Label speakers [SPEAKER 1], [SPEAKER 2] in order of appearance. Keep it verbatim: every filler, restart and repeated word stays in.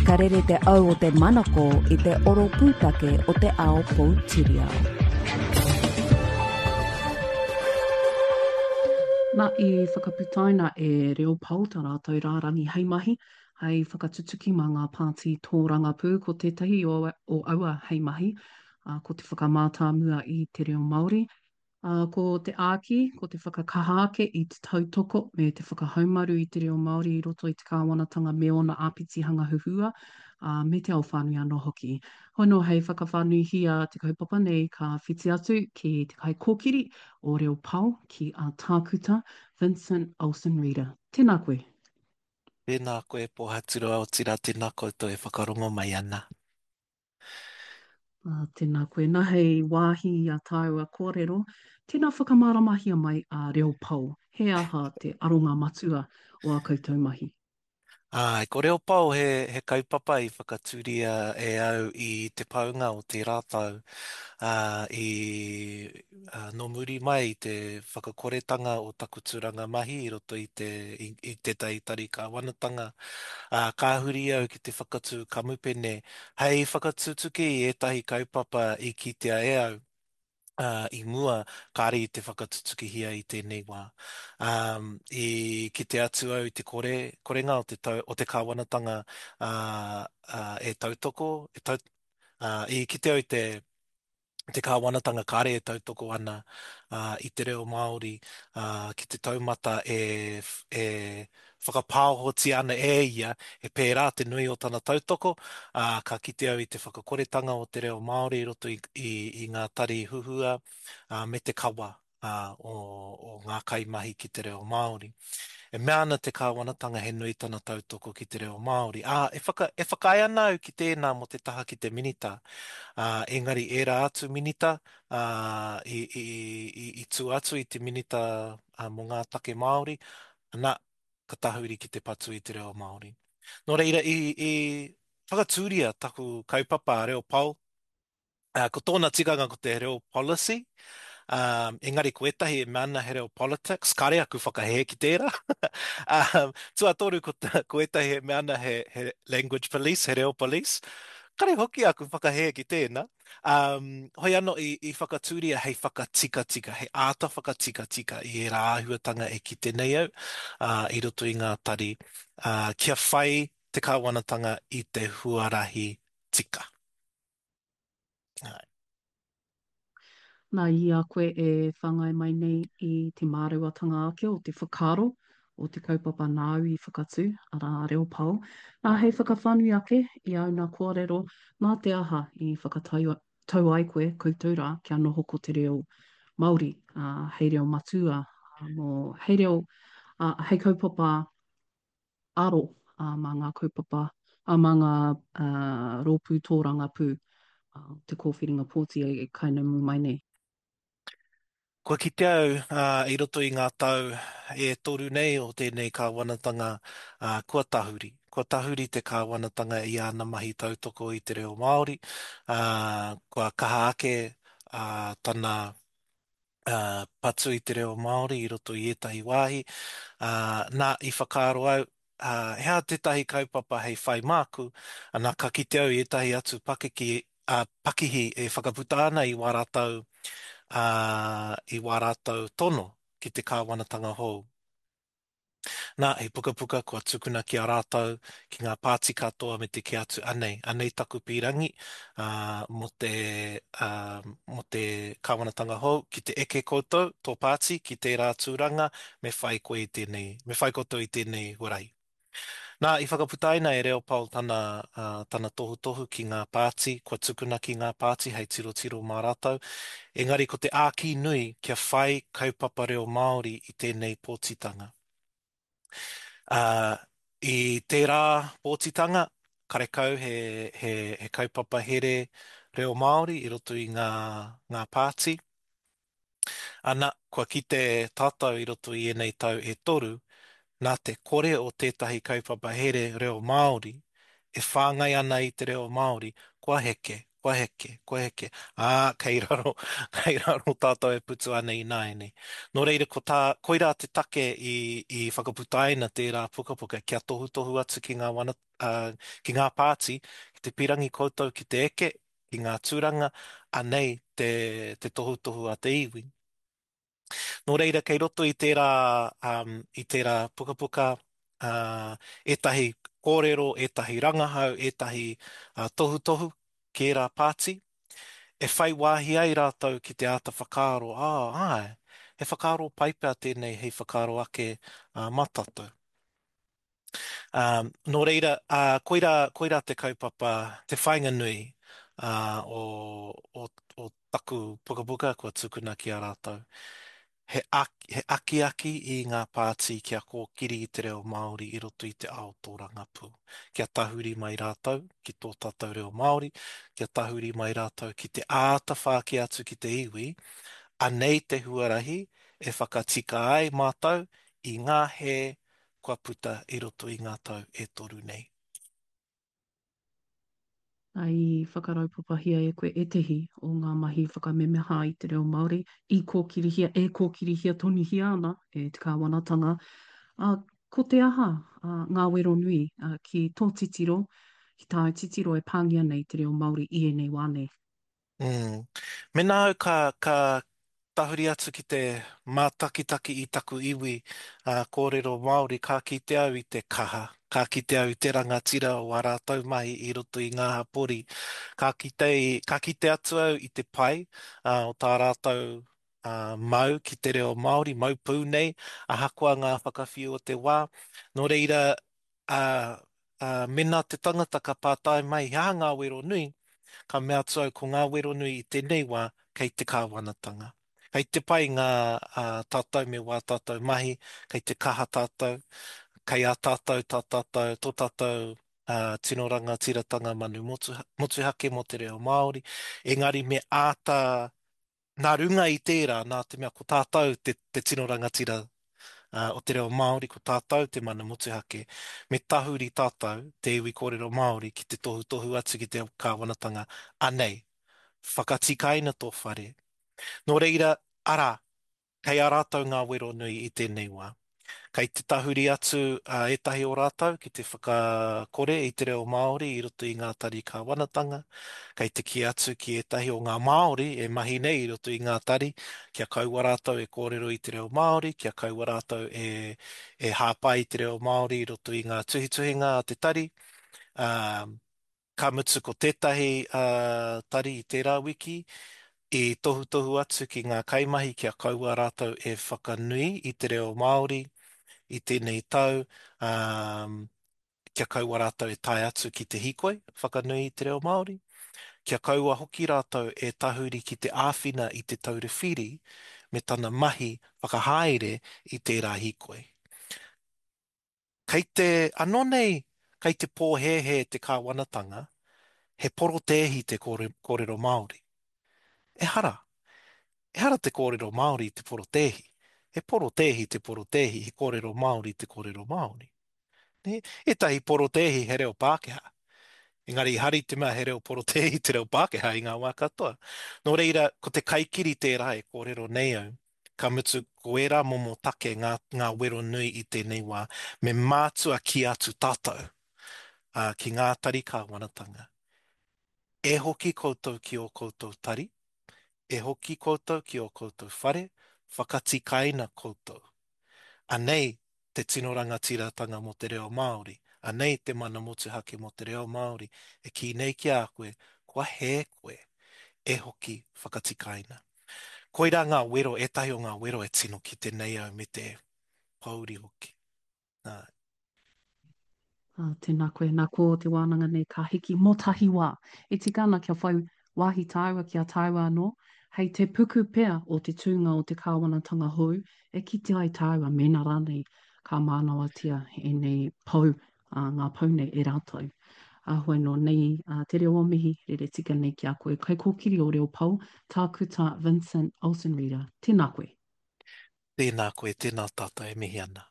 [SPEAKER 1] Ka rere te au o te manako i te oro pūtake o te ao poutiriao.
[SPEAKER 2] Na, i whakaputaina e Reo Pao tā rātou rārangi hei mahi, hei whakatutuki mā ngā pāti tōrangapū. Ko tētahi o, o aua hei mahi, ā, ko te whakamātāmua i te reo Māori, Ā, ko te āki, ko te whakakaha ake i te tautoko me te whakahaumaru i te reo Māori i roto i te kāwanatanga me ōna āpitihanga huhua, ā, me te ao whānui anō hoki. Hoi anō, hei whakawhānuihia te kaupapa nei, ka whiti atu ki te kaikōkiri o Reo Pao, ki a Tākuta Vincent Olsen-Reeder. Tēnā koe.
[SPEAKER 3] Tēnā koe Pōhaturoa, otirā tēnā koutou e whakarongo mai ana.
[SPEAKER 2] Ā, tēnā koe. Nā, hei wāhi i a tāua kōrero, tēnā whakamāramahia mai a Reo Pao. He aha te aronga matua o ā koutou mahi?
[SPEAKER 3] Āe, ko Reo Pao he, he kaupapa i whakatūria e au i te paunga o tērā tau, ā, i, ā, nō muri mai i te whakakoretanga o taku tūranga mahi i roto i te, i, i tētahi tari kāwanatanga, ā, ka huri au ki te whakatū kamupene Hei whakatutuki i ētahi kaupapa i kitea e au i mua, kāre i te whakatutukihia i tēnei wā. I kite atu au i te kore, korenga o te tau, o te kāwanatanga e tautoko, e tau, i kite au i te te kāwanatanga kāre e tautoko ana i te reo Māori ki te taumata e, e whakapāohotia ana e ia, he pērā te nui o tana tautoko, ā, ka kite au i te whakakoretanga o te reo Māori i roto i, i, i ngā tari huhua, ā, me te kawa ā, o, o ngā kaimahi ki te reo Māori. E mea ana te kāwanatanga he nui tana tautoko ki te reo Māori, ā, e whaka, e whakaae ana au ki tēnā mō te taha ki te minita, ā, engari ērā atu minita, ā, i, i, i, i tua atu i te minita ā, mō ngā take Māori, ana, ka tahuri ki te patu i te reo Māori. Nō reira, i, i whakatūria taku kaupapa a Reo Pao, Uh, ko tōna tikanga ko te reo policy, um, engari ko ētahi e mea ana he reo politics, kāre aku whakahē ki tērā. um, tuatoru ko, ko ētahi e mea ana he, he language police, he reo police. Kāre hoki aku whakahē ki tēnā. Um, hoi anō i, i whakatūria hei whakatikatika, hei āta whakatikatika i ērā āhuatanga e kite nei au uh, i roto i ngā tari, uh, kia whai te kāwanatanga i te huarahi tika. Āe.
[SPEAKER 2] Nā, i a koe e whāngai mai nei i te māreuatanga ake o te whakaaro o te kaupapa nāu i whakatū, arā, a Reo Pao, nā, hei whakawhānui ake i āu nā kōrero, nā te aha i whakatau tau ai koe, koutou rā, kia noho ko te reo Māori, ā, hei reo matua, ā, mō, hei reo, ā, hei kaupapa aro mā ngā kaupapa, mā ngā rōpū tōrangapū o te kōwhiringa pōti e kainamu mai nei.
[SPEAKER 3] Kua kite au i roto i ngā tau e toru nei o tēnei kāwanatanga kua tahuri. Kua tahuri te kāwanatanga i āna mahi tautoko i te reo Māori, kua kaha ake tana patu i te reo Māori i roto i ētahi wāhi, ā, nā, i whakaaro au, ā, he aha tētahi kaupapa hei whai māku, ana, ka kite au i ētahi atu pakeke, ā, pakihi e whakaputa ana i wā rātou, ā, i wā rātou tono ki te kāwanatanga hou. Nā, he pukapuka kua tukuna ki a rātou, ki ngā pāti katoa me te kī atu, anei, anei taku pīrangi, ā, mō te, ā, mō te kāwanatanga hou, ki te eke koutou, tō pāti, ki tērā tūranga, me whai koe i tēnei, me whai koutou i tēnei huarahi. Nā, i whakaputaina e Leopold tana, ā, tana tohutohu ki ngā pāti, kua tukuna ki ngā pāti hei tirotiro mā rātou, engari ko te āki nui kia whai kaupapa reo Māori i tēnei pōtitanga. Ā, i tērā pōtitanga, karekau he, he, he kaupapa here reo Māori i roto i ngā, ngā pāti. Ana, kua kite tātou i roto i ēnei tau e toru, nā te kore o tētahi kaupapa here reo Māori e whāngai ana i te reo Māori, kua heke, Kua heke, kua heke. Ā, kei raro, kei raro tātou e putu ana ināianei. Nō reira, ko tā, koirā te take i, i whakaputaina tērā pukapuka kia tohutohu atu ki ngā wana, ā, ki ngā pāti, ki te pirangi koutou ki te eke, ki ngā tūranga, anei te, te tohutohu a te iwi. Nō reira, kei roto i tērā, um, i tērā pukapuka, uh, ētahi kōrero, ētahi rangahau, ētahi uh, tohutohu ki ērā pāti, e whai wāhi ai rātou ki te āta whakaaro, ā, āe, he whakaaro pai pea tēnei hei whakaaro ake uh, mā tātou. Um, nō reira, uh, koirā, koirā te kaupapa, te whāinga nui uh, o, o, o taku pukapuka kua tukuna ki a rātou. He, he akiaki i ngā pāti kia kōkiri i te reo Māori i roto i te ao tōrangapū. Kia tahuri mai rātou ki tō tātou reo Māori, kia tahuri mai rātou ki te āta whāki atu ki te iwi, anei te huarahi e whakatika ai mātou i ngā hē kua puta i roto i ngā tau e toru nei.
[SPEAKER 2] I whakaraupapahia e koe ētehi o ngā mahi whakamemeha i te reo Māori i kōkirihia, e kōkirihia tonuhia ana e te kāwanatanga. Ā, ko te aha ā, ngā wero nui ā, ki tō titiro, ki tāu titiro e pāngia nei te reo Māori i ēnei wā nei?
[SPEAKER 3] Mm. Mēnā au ka, ka tahuri atu ki te mātakitaki i taku iwi uh, kōrero Māori, ka kite au i te kaha, ka kite au i te rangatira o ā rātou mahi i roto i ngā hapori. Ka kite, ka kite atu au i te pai uh, o tā rātou uh, mau ki te reo Māori, mau pū nei, ahakoa ngā whakawhiu o te wā. Nō reira, uh, uh, mēnā te tangata ka pātai mai, he aha ngā wero nui, ka mea atu au ko ngā wero nui i tēnei wā kei te kāwanatanga. Kei te pai ngā uh, tātou me wā tātou mahi, kei te kaha tātou, kei a tātou, tā tātou, tō tātou uh, tino rangatiratanga manu motu, motuhake mō te reo Māori. Engari me āta, nā runga i tērā, nā te mea ko tātou te, te tino rangatira uh, o te reo Māori, ko tātou te mana motuhake, me tahuri tātou, te iwi kōrero Māori, ki te tohutohu atu ki te kāwanatanga, anei, whakatikaina tō whare. Nō reira, arā, kei a rātou ngā wero nui i tēnei wā. Kei te tahuri atu uh, ētahi o rātou ki te whakakore i te reo Māori i roto i ngā tari kāwanatanga. Kei te kī atu ki ētahi o ngā Māori e mahi nei i roto i ngā tari, kia kaua rātou e kōrero i te reo Māori, kia kaua rātou e, e hāpai i te reo Māori i roto i ngā tuhituhinga a te tari. Um, ka mutu ko tētahi uh, tari i tērā wiki, i tohutohu atu ki ngā kaimahi kia kaua rātou e whakanui i te reo Māori i tēnei tau, um, kia kaua rātou e tae atu ki te hīkoi whakanui i te reo Māori, kia kaua hoki rātou e tahuri ki te āwhina i te taura whiri me tana mahi whakahaere i tērā hīkoi. Kei te, anō nei, kei te pōhēhē te kāwanatanga, he porotēhi te kōrero Māori. Ehara. Ehara te kōrero Māori i te porotēhi. He porotēhi te porotēhi, he kōrero Māori te kōrero Māori. Ne? Ētahi porotēhi he reo Pākehā. Engari hari te mea he reo porotēhi te reo Pākehā i ngā wā katoa. Nō reira, ko te kaikiri tērā e kōrero nei au. Ka mutu, ko ērā momo take ngā, ngā wero nui i tēnei wā, me mātua kī atu tātou uh, ki ngā tari kāwanatanga. E hoki koutou ki ō koutou tari, e hoki koutou ki ō koutou whare, whakatikaina koutou. Anei te tino rangatiratanga mō te reo Māori, anei te mana motuhake mō te reo Māori, e kī nei ki a koe, kua hē koe, e hoki whakatikaina. Koirā ngā wero, ētahi o ngā wero e tino kite nei au me te pōuri hoki. Nā.
[SPEAKER 2] Ah, tēnā koe, nā ko te wānanga nei ka hiki mō tahi wā. E tika ana kia whai wāhi tāua ki a tāua anō, hei te puku pea o te tūnga o te kāwanatanga hou, e kite ai tāua mēnā rānei ka mānawatia ēnei pou, ā, ngā pou nei e rātou. Ā, hoi nō nei ā, te reo o mihi, rere tika nei ki a koe. Kaikōkiri o Reo Pou, Tākuta Vincent Olsen-Reeder, tēnā koe.
[SPEAKER 3] Tēnā koe, tēnā tātou e mihi ana.